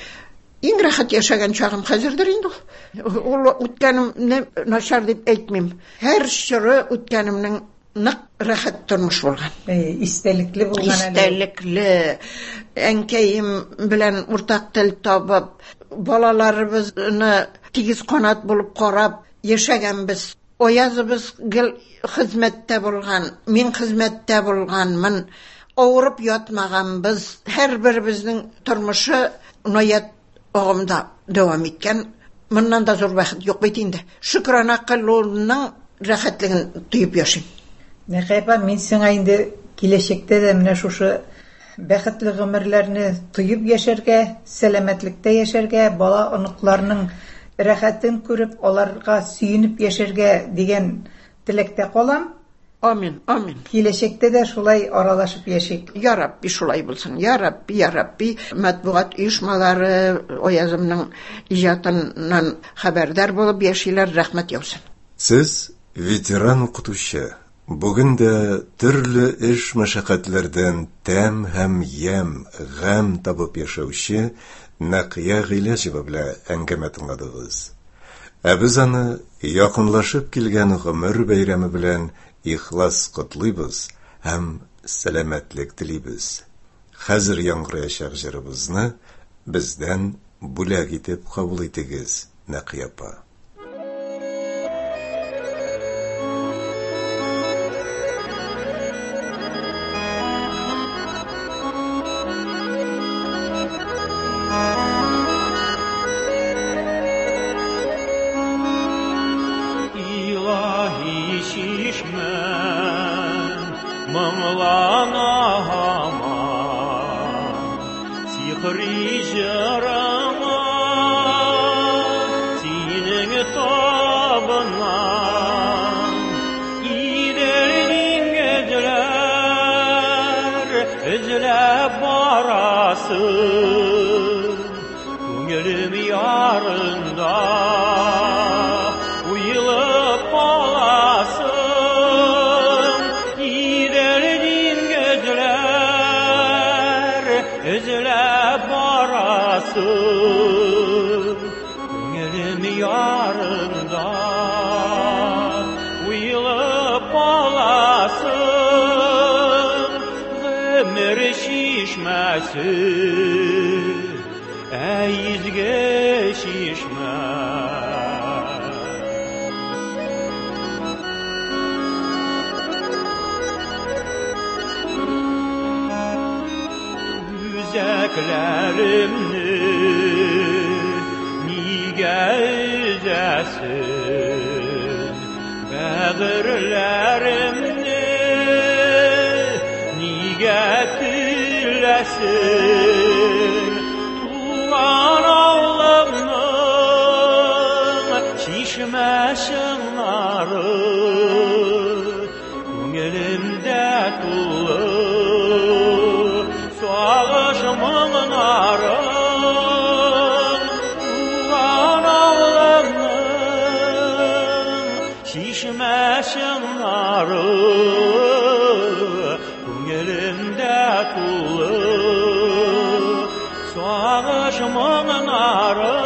D: Иң рәхәт яшәгән чагым хәзердер инде ул. Ул үткәнемне начар дип әйтмим. Һәр чоры үткәнемнең нык рәхәт тормыш булган.
C: Әй, истәлекле булган әле.
D: Истәлекле. Әнкәем белән уртак тел табып, балаларыбызны тигез канат булып карап яшәгәнбез. Аязыбыз гел хезмәттә булган, мин хезмәттә булганмын. Авырып ятмаганбыз. Һәрберебезнең тормышы наят агымда дәвам иткән. Моннан да зур бәхет юк бит инде. Шөкрана кылуның рәхәтлеген тоеп яшим.
C: Нәкыя апа, мин сиңа инде киләчәктә дә менә шушы бәхетле гомерләрне тоеп яшәргә, сәламәтлектә яшәргә, бала оныкларның рәхәтен күреп, аларга сөенеп яшәргә дигән теләктә калам.
D: Амин, амин.
C: Киләчәктә дә шулай аралашып яшик.
D: Я Рабби, шулай булсын. Я Рабби, я Рабби. Матбугат оешмалары Аязымның иҗатыннан хәбәрдар булып яшиләр, рәхмәт яусын.
A: Сез ветеран укытучы. Бүген дә төрле эш мәшәкатьләрдән тәм һәм ямь, гамь табып яшәүче Нәкыя Гыйләҗева белән әңгәмә тыңладыгыз. Ә без аны якынлашып килгән гомер бәйрәме белән ихлас котлыйбыз һәм сәламәтлек телибез. Хәзер яңгыраячак җырыбызны бездән бүләк итеп кабул итегез, Нәкыя апа.
E: Күңелем ярында. Ярында уйлап аласың гомер чишмәсе, әй изге чишмә. Үзәкләремне нигә өзәсең, бәгырьләремне нигә теләсең? Туган авылымның чишмә чыңнары күңелемдә тулы сагыш моңнары. Туган авылымның чишмә чыңнары күңелемдә тулы сагыш моңнары.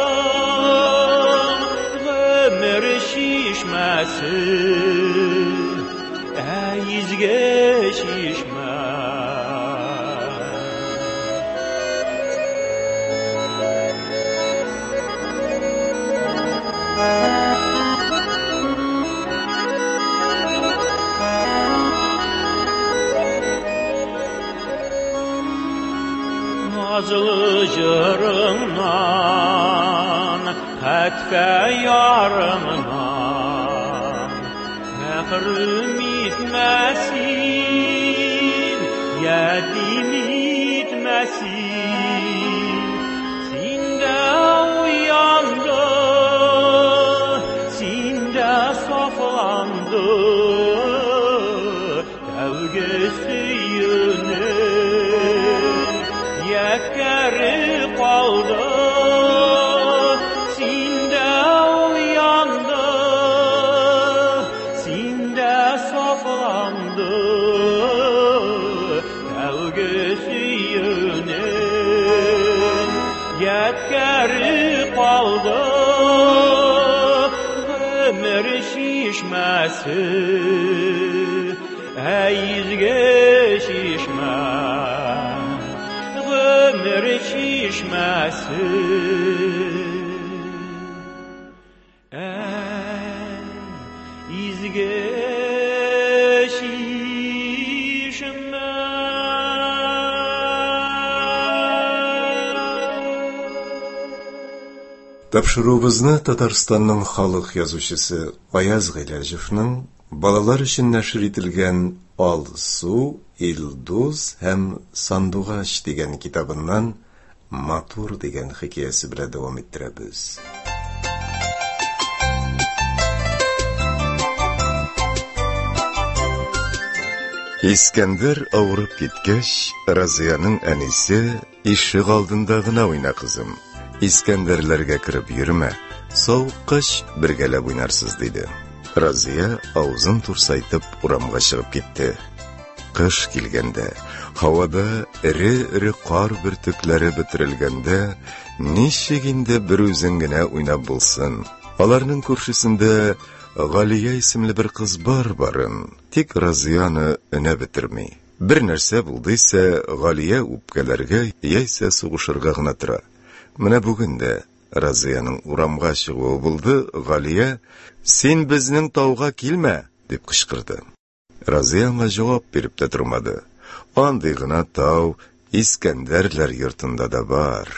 E: Гомер чишмәсе, әй изге чишмә. Nazlı jırından, хәтфә ярыңнан мәхрүм итмәсен, ятим итмәсен. Синдә уянды, синдә сафланды тәүге сөюнең ядкәре калды. Синдә уянды, синдә сафланды тәүге сөюнең ядкәре калды. Гомер чишмәсе, әй изге чишмә, гомер чишмәсе, әй изге чишмә.
A: Тапшыруыбызны Татарстанның халык язучысы Аяз Гыйләҗевның балалар өчен нәшер ителгән Алсу, Илдус һәм Сандугач дигән китабыннан Матур дигән хикәясе белән дәвам иттерәбез. Искәндәр авырып киткәч, Разияның әнисе: "Ишек алдында гына уйна, кызым. Искәндәрләргә кереп йөрмә, савыккач бергәләп уйнарсыз", диде. Разия авызын турсайтып урамга чыгып китте. Кыш килгәндә, һавада эре-эре кар бөртекләре бөтерелгәндә, ничек инде бер үзең генә уйнап булсын? Аларның күршесендә Галия исемле бер кыз бар барын, тик Разияны өнә бетерми. Бер нәрсә булды исә, Галия үпкәләргә яисә сугышырга гына тора. Менә бүген дә Разияның урамга чыгуы булды, Галия: "Син безнең тауга килмә!" дип кычкырды. Разия аңа җавап биреп тә тормады. Андый гына тау Искәндәрләр йортында да бар.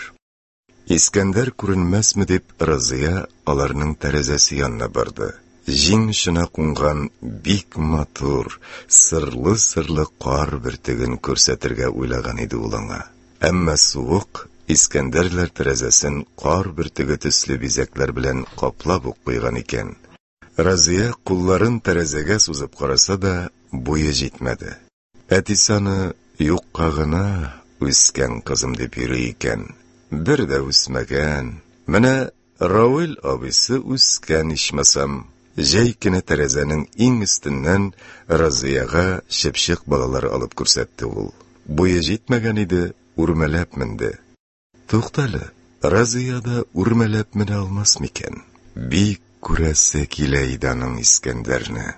A: Искәндәр күренмәсме дип, Разия аларның тәрәзәсе янына барды. Җиң очына кунган бик матур, сырлы-сырлы кар бөртеген күрсәтергә уйлаган иде ул аңа. Әмма суык Искәндәрләр тәрәзәсен кар бөртеге төсле бизәкләр белән каплап ук куйган икән. Разия кулларын тәрәзәгә сузып караса да, буе җитмәде. Әтисе аны юкка гына үскән кызым дип йөри икән. Бер дә үсмәгән. Менә Равил абыйсы үскән ичмасам. Җәй көне тәрәзәнең иң өстеннән Разияга чыпчык балалары алып күрсәтте ул. Буе җитмәгән иде, үрмәләп менде. Туктале, Разия да үрмәләп менә алмас микән? Бик күрәсе килә иде аның Искәндәрне.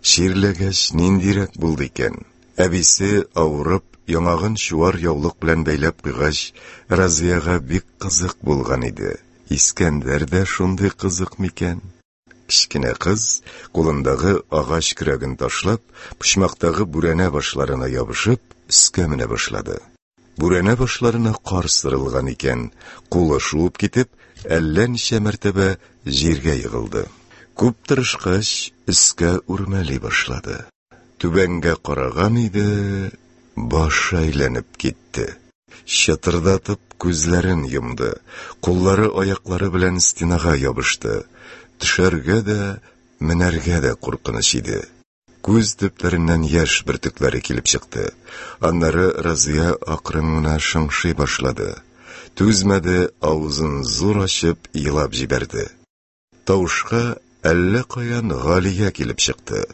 A: Чирләгәч ниндирәк булды икән? Әбисе авырып, яңагын чуар яулык белән бәйләп куйгач, Разияга бик кызык булган иде. Искәндәр дә шундый кызык микән? Кечкенә кыз, кулындагы агач көрәген ташлап, почмактагы бүрәнә башларына ябышып, өскә менә башлады. Бүрәнә башларына кар сырылган икән, кулы шуып китеп, әллә ничә мәртәбә җиргә егылды. Күп тырышкач, өскә үрмәли башлады. Түбәнгә караган иде, башы әйләнеп китте. Чытырдатып күзләрен йомды, куллары аяклары белән стенага ябышты. Төшәргә дә, менәргә дә куркыныч иде. Күз төпләреннән яшь бөртекләре килеп чыкты. Аннары Разия акрын гына шыңшый башлады. Түзмәде, авызын зур ачып елап җибәрде. Тавышка әллә каян Галия килеп чыкты.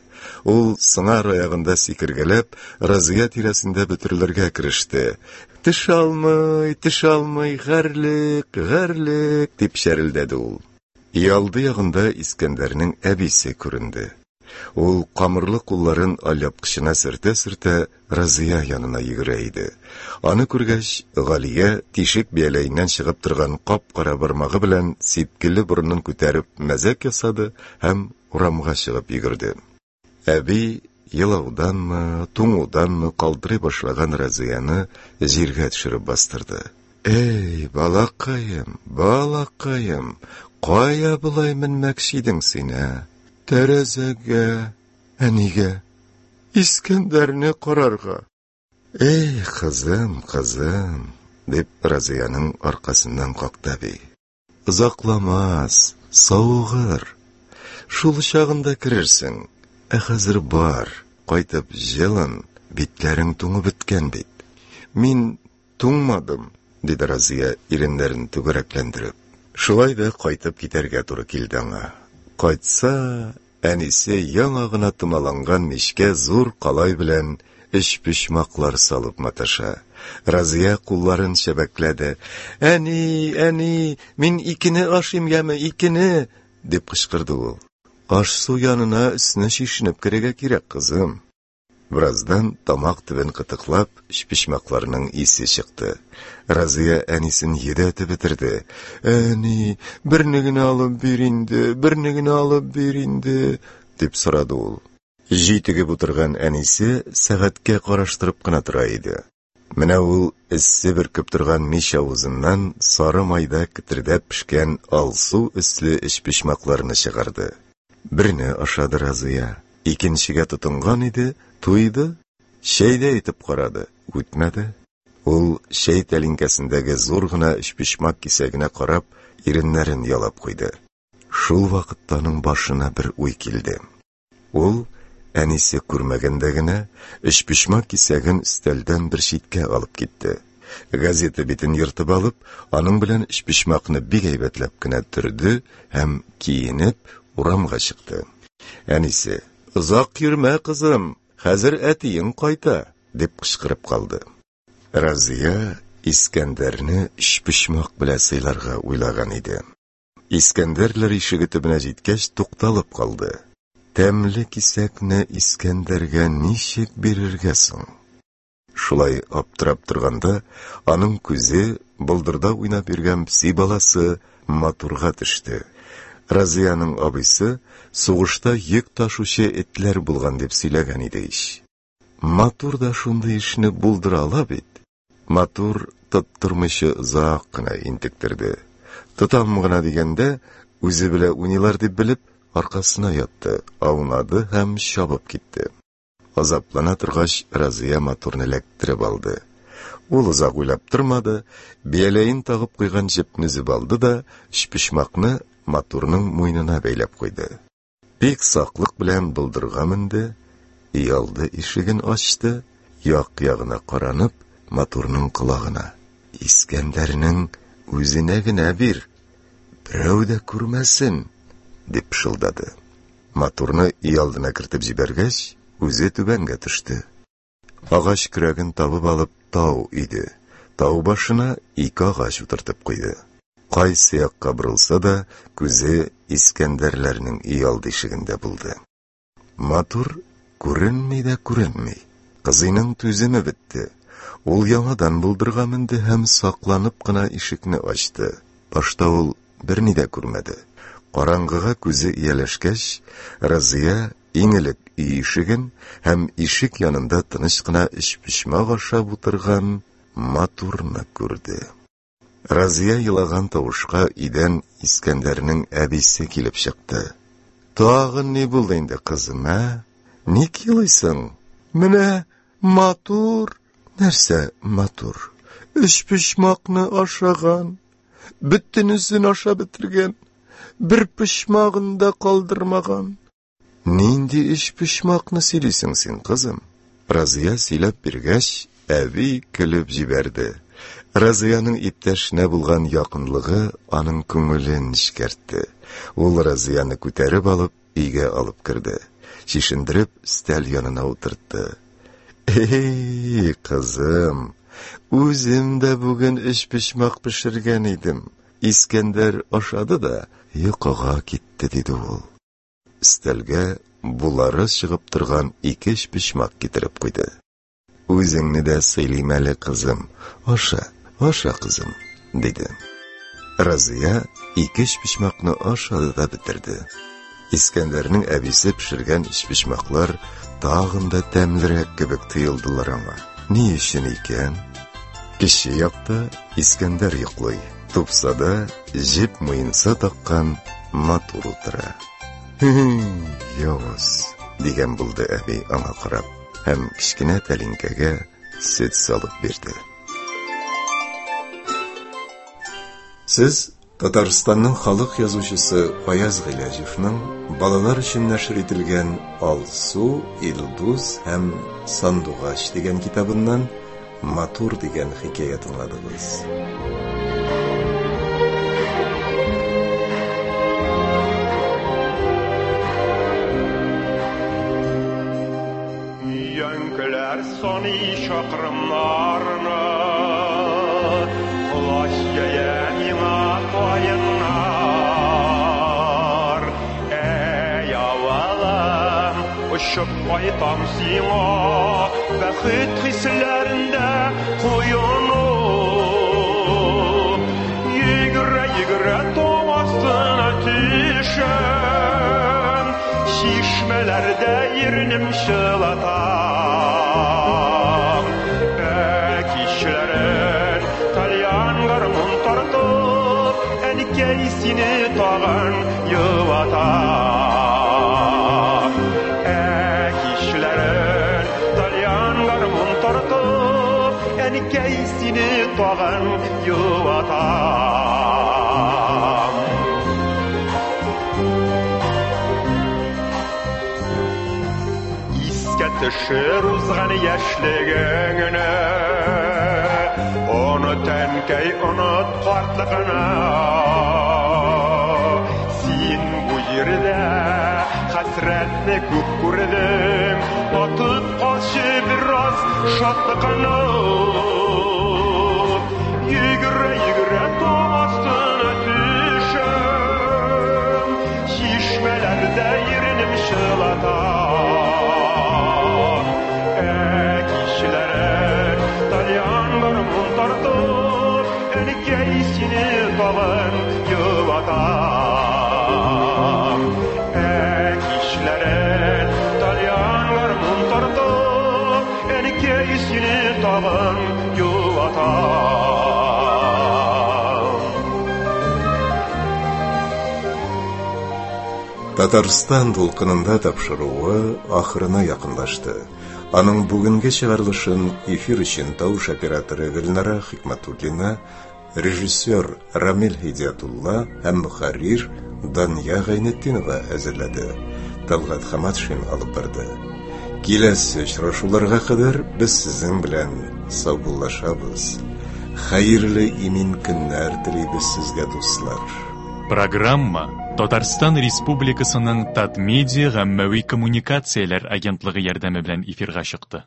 A: Ул сыңар аягында сикергәләп, Разия тирәсендә бөтерелергә кереште. «Төшә алмый, төшә алмый, гарьлек, гарьлек!» дип чәрелдәде ул. Өйалды ягында Искәндәрнең әбисе күренде. Ул камырлы кулларын алъяпкычына сөртә-сөртә Разия янына йөгерә иде. Аны күргәч, Галия тишек бияләеннән чыгып торган кап-кара бармагы белән сипкелле борынын күтәреп мәзәк ясады һәм урамга чыгып йөгерде. Әби елауданмы, туңуданмы калтырый башлаган Разияны җиргә төшереп бастырды. «Эй, балакаем, балакаем, кая болай менмәкче идең син, ә? Тәрәзәгә, әнигә, Искәндәрне карарга». «Эй, кызым, кызым», дип Разияның аркасыннан какты әби. «Озакламас, савыгыр. Шул чагында керерсең. Ә хәзер бар, кайтып җылын, битләрең туңып беткән бит». «Мин туңмадым», диде Разия, иреннәрен түгәрәкләндереп. Шулай да кайтып китәргә туры килде аңа. Кайтса, әнисе яңа гына томаланган мичкә зур калай белән өчпочмаклар салып маташа. Разия кулларын чәбәкләде. «Әни, әни, мин икене ашыйм яме, икене!» дип кычкырды ул. «Аш-су янына өстенә чишенеп керергә кирәк, кызым». Бераздан тамак төбен кытыклап, өчпочмакларның исе чыкты. Разия әнисен йөдәтеп бетерде. «Әни, берне генә алып бир инде, берне генә алып бир инде», дип сорады ул. Җитегеп утырган әнисе сәгатькә караштырып кына тора иде. Менә ул эссе бөркеп торган мич авызыннан сары майда кетердәп пешкән алсу өсле өчпочмакларны чыгарды. Берне ашады Разия, икенчегә тотынган иде, туйды. Чәй дә итеп карады, үтмәде. Ул чәй тәлинкәсендәге зур гына өчпочмак кисәгенә карап, иреннәрен ялап куйды. Шул вакытта аның башына бер уй килде. Ул, әнисе күрмәгәндә генә, өчпочмак кисәген өстәлдән бер читкә алып китте. Газета битен ертып алып, аның белән өчпочмакны бик әйбәтләп кенә төрде һәм киенеп урамга чыкты. Әнисе: «Озак йөрмә, кызым, хәзер әтиең кайта», дип кычкырып калды. Разия Искәндәрне өчпочмак белән сыйларга уйлаган иде. Искәндәрләр ишеге төбенә җиткәч тукталып калды. Тәмле кисәкне Искәндәргә ничек бирергә соң? Шулай аптырап торганда, аның күзе болдырда уйнап йөргән песи баласы Матурга төште. Разияның абыйсы сугышта йөк ташучы этләр булган дип сөйләгән иде ич. Матур да шундый эшне булдыра ала бит. Матур тоттырмыйча озак кына интектерде. Тотам гына дигәндә, үзе белән уйныйлар дип белеп, аркасына ятты, аунады һәм чабып китте. Азаплана торгач, Разия Матурны эләктереп алды. Ул озак уйлап тормады, бияләен тагып куйган җепне өзеп алды да, өчпочмакны Матурның муенына бәйләп куйды. Бик саклык белән болдырга менде, өйалды ишеген ачты, як-ягына каранып, Матурның колагына: «Искәндәрнең үзенә генә бир, берәү дә күрмәсен», дип пышылдады. Матурны өйалдына кертеп җибәргәч, үзе түбәнгә төште. Агач көрәген табып алып тау иде. Тау башына ике агач утыртып куйды. Кайсы якка борылса да, күзе Искәндәрләрнең өйалды ишегендә булды. Матур күренми дә күренми. Кызыйның түземе бетте. Ул яңадан болдырга менде һәм сакланып кына ишекне ачты. Башта ул берни дә күрмәде. Караңгыга күзе ияләшкәч, Разия иң элек өй ишеген һәм ишек янында тыныч кына өчпочмак ашап утырган Матурны күрде. Разия елаган тавышка өйдән Искәндәрнең әбисе килеп чыкты. Тагын ни булды инде, кызым, ә? Ник елыйсың? Менә Матур. Нәрсә Матур? Өчпочмакны ашаган, бөтенесен ашап бетергән, бер почмагын да калдырмаган. Нинди өчпочмакны сөйлисең син, кызым? Разия сөйләп биргәч, әби көлеп җибәрде. Разияның иптәшенә булган якынлыгы аның күңелен нечкәртте. Ул Разияны күтәреп алып, өйгә алып керде. Чишендереп, өстәл янына утыртты. Эй, кызым, үзем дә бүген өчпочмак пешергән идем. Искәндәр ашады да йокыга китте, диде ул. Өстәлгә булары чыгып торган ике өчпочмак китереп куйды. Үзеңне дә сыйлыйм әле, кызым. Аша, аша, кызым, диде. Разия ике өчпочмакны ашады да бетерде. Искәндәрнең әбисе пешергән өчпочмаклар тагын да тәмлерәк кебек тоелдылар аңа. Ни өчен икән? Кече якта Искәндәр йоклый. Тупсада җеп муенса таккан Матур утыра. Явыз, дигән булды әби аңа карап һәм кечкенә тәлинкәгә сөт салып бирде. Сез Татарстанның халык язучысы Фаяз Гыйләҗевның балалар өчен нәшер ителгән Алсу, Илдус һәм Сандугач дигән китабыннан Матур дигән хикәя тыңладыгыз.
E: Өянкеләр саный чакрымнарны, колач җәя миңа каеннар. Әй, авылым, очып кайтам сиңа, бәхет хисләрендә коенып. Йөгерә-йөгерә тау астына төшәм, чишмәләрдә иренем чылатам. Ә кичләрен тальян гармун тартып, әнкәй сине тагын юатам. Ә кичләрен тальян гармун тартып, әнкәй сине тагын юатам. Искә төшер узган яшьлегеңне, оныт, әнкәй, оныт картлыгыңны. Син бу җирдә хәсрәтне күп күрдең, татып калчы бераз шатлыгыңны. Йөгерә-йөгерә тау астына төшәм, чишмәләрдә иренем чылатам. Ә кичләрен тальян гармун тартып, әнкәй сине тагын юатам. Ә кичләрен тальян гармун тартып, әнкәй сине тагын юатам.
A: Татарстан дулкынында тапшыруы ахырына якынлашты. Аның бүгенге чыгарылышын эфир өчен тавыш операторы Гөлнара Хикматуллина, режиссер Рамил Һидиятулла һәм мөхәррир Дания Гайнетдинова әзерләде. Талгат Хаматшин алып барды. Киләсе очрашуларга кадәр без сезнең белән саубуллашабыз. Хәерле имин көннәр телибез сезгә, дуслар.
F: Программа Татарстан Республикасының Татмедиа гаммәви коммуникацияләр агентлыгы ярдәме белән эфирга чыкты.